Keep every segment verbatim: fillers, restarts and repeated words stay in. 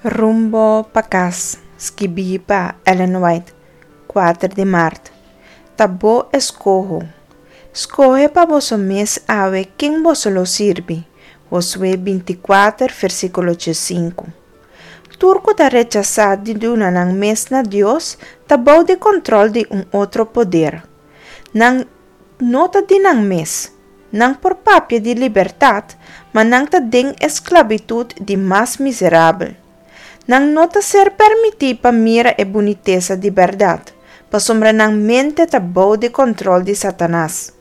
Rumbo pa kas, skibí pa Ellen White, kuater di mart. Ta bo eskoho. Skohe pa boso mes awe ken boso lo sirbi. Josué binti kuater, versíkulo sinku. Tur ku ta rechasá di duna nan mes na Dios ta bou di kontròl di un otro poder. Nan no ta di nan mes. Nan por papia di libertat, ma nan ta den esklabitut di mas miserabel. Nan no ta ser permití pa mira e bunitesa di bèrdat, pasobra nan mente ta bou di kontròl di Satanas.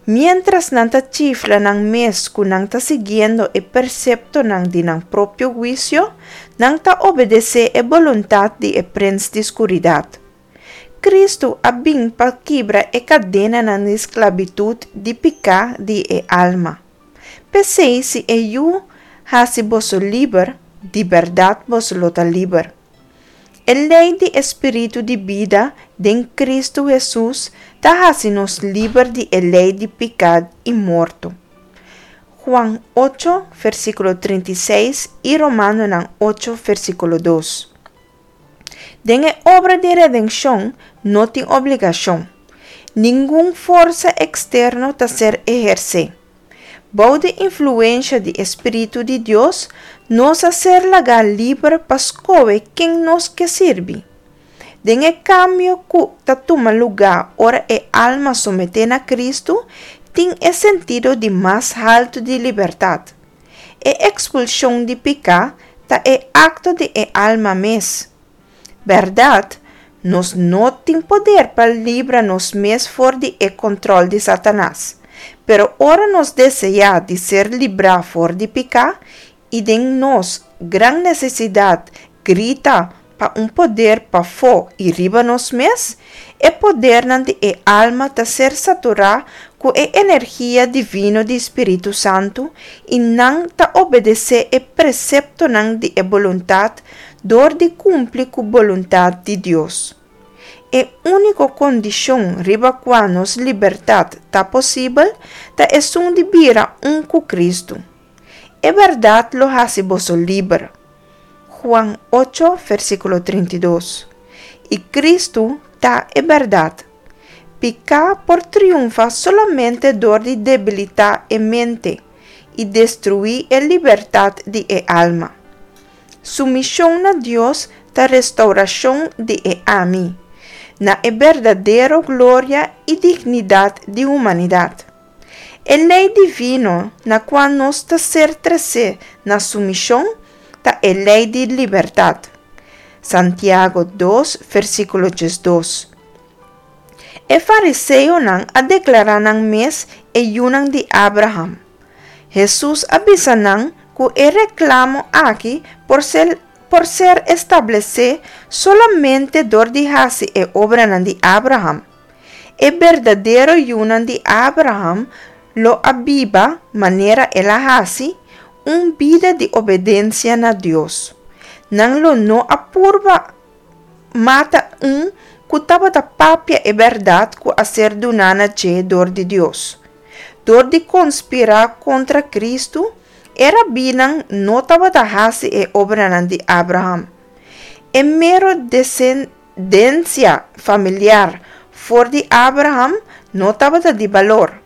Miéntras nan ta chifla nan mes ku nan ta siguiendo e preseptonan di nan propio huisio, nan ta obedesé e boluntat di e prens di skuridat. Kristu a bin pa kibra e kadenanan di sklabitut di piká di e alma. P'esei si e Yu hasi boso liber, di bèrdat boso lo ta liber. E lei di e spiritu di bida den Kristu Hesus ta hasi nos liber di e lei di piká i morto. Juan ocho, versíkulo trinta i seis i Romanonan ocho, versíkulo dos. Den e obra di redenshon no tin obligashon. Ningun forsa eksterno ta ser ehersé. Bou di influensia di e Spiritu di Dios, nos a ser lagá liber pa skohe ken nos ke sirbi. Den e kambio ku ta tuma lugá ora e alma someté na Kristu, tin e sentido di mas haltu di libertat. E ekspulshon di piká ta e akto di e alma mes. Bèrdat, nos no tin poder pa libra nos mes for di e kontròl di Satanas. Pero ora nos deseá di ser librá for di piká, i den nos gran nesesidat grita pa un poder pafó i riba nos mes, e podernan di e alma ta ser saturá ku e energia divino di Spiritu Santu i nan ta obedesé e preseptonan di e boluntat dor di kumpli ku boluntat di Dios. E úniko kondishon riba kua nos libertat ta posibel ta esun di bira un ku Kristu. E bèrdat lo hasi boso liber. Juan ocho, versíkulo trinta i dos. I Kristu ta e bèrdat. Piká por triunfá solamente dor di debilitá e mente i destruí e libertat di e alma. Sumishon na Dios ta restourashon di e ami, na e berdadero gloria i dignidat di humanidat. E lei divino na kua nos ta ser tresé na sumishon ta e lei di libertat. Santiago dos, versíkulo diesdos. E fariseonan a deklará nan mes e yunan di Abraham. Hesus a bisa nan ku e reklamo aki por ser por ser establesé solamente dor di hasi e obranan di Abraham. E berdadero yunan di Abraham lo a biba manera el a hasi, un bida di obedensia na Dios. Nan lo no a purba mata un ku tabata papia e bèrdat ku a ser duná na dje dor di Dios. Dor di konspirá kontra Kristu, e rabinan no tabata hasi e obranan di Abraham. E mero desendensia familiar for di Abraham no tabata di balor.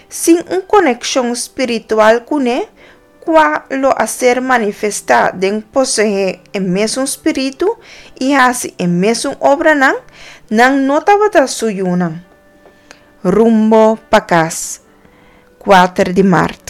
Sin un konekshon spiritual kuné, kua lo a ser manifestá den poseé e mesun spiritu i hasi e mesun obranan, nan no tabata su yunan. Rumbo pa kas, kuater di mart.